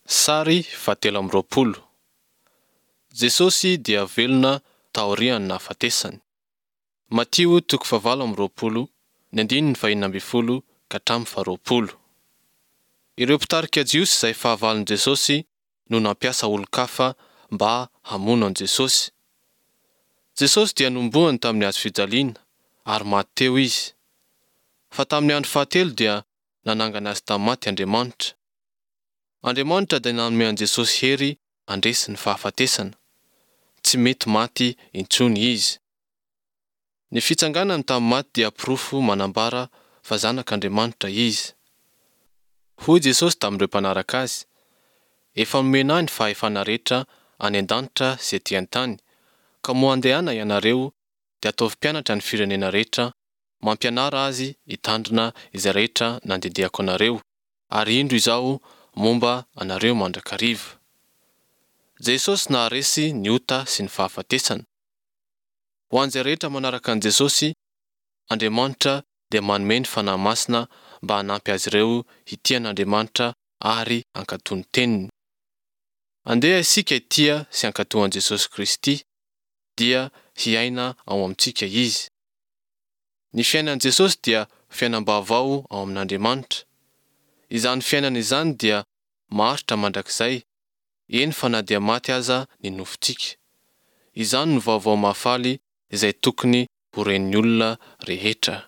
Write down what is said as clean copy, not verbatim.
Sary fahatelo amby roapolo. Jesosy dia velona taorian'ny nahafatesany. Matio toko fahavalo amby roapolo, ny andininy fahenina ambin'ny folo ka hatramin'ny faharoapolo. Ireo mpitarika Jiosy izay fahavalon'i Jesosy no nampiasa olon-kafa mba hamono an'i Jesosy. Jesosy dia nohomboany tamin'ny hazo fijaliana ary maty teo Izy. Fa tamin'ny andro fahatelo dia nanangana Azy tamin'ny maty Andriamanitra. Andriamanitra dia nanome an'i Jesosy hery handresy ny fahafatesana. Tsy mety maty intsony Izy. Ny fitsanganany tamin'ny maty dia porofo manambara fa Zanak'Andriamanitra Izy. Hoy Jesosy tamin'ireo mpanaraka Azy, Efa nomena Ahy ny fahefana rehetra any an-danitra sy ety an-tany, ka moa andehana ianareo dia ataovy mpianatra ny firenena rehetra, mampianara azy hitandrina izay rehetra nandidiako anareo, ary indro Izaho momba anareo mandrakariva. Jesosy naharesy ny ota sy ny fahafatesana. Ho an'izay rehetra manaraka an'i Jesosy, Andriamanitra dia manome ny Fanahy Masina mba hanampy azy ireo hitia an'Andriamanitra ary hankatò ny Teniny. Andeha isika hitia sy hankatò an'i Jesosy Kristy, dia hiaina ao amintsika Izy. Ny fiainan'i Jesosy dia fiainam-baovao ao amin'Andriamanitra. Izany fiainana izany dia maharitra mandrakizay, eny fa na dia maty aza ny nofontsika. Izany no vaovao mahafaly izay tokony ho ren'ny olona rehetra.